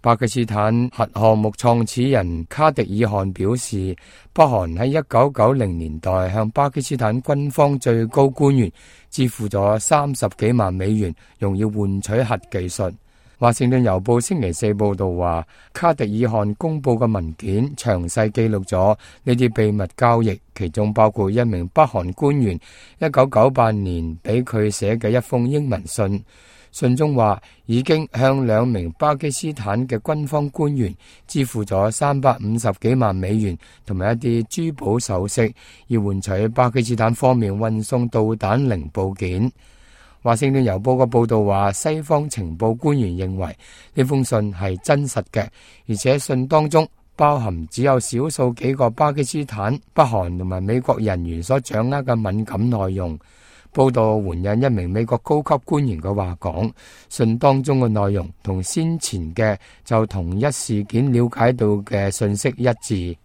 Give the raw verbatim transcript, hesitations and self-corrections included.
巴基斯坦核項目創始人卡迪爾汗表示，北韓喺一九九零年代向巴基斯坦軍方最高官員支付咗三十幾萬美元，用以換取核技術。華盛頓郵報星期四報道話，卡迪爾汗公布嘅文件詳細記錄咗呢啲秘密交易，其中包括一名北韓官員一九九八年俾佢寫嘅一封英文信。信中話已經向兩名巴基斯坦嘅軍方官員支付咗三百五十幾萬美元同埋一啲珠寶首飾，以換取巴基斯坦方面運送導彈零部件。華盛頓郵報嘅報道話，西方情報官員認為呢封信係真實嘅，而且信當中包含只有少數幾個巴基斯坦、北韓同埋美國人員所掌握嘅敏感內容。報道援引一名美國高級官員嘅話講，信當中嘅內容同先前嘅就同一事件了解到嘅信息一致。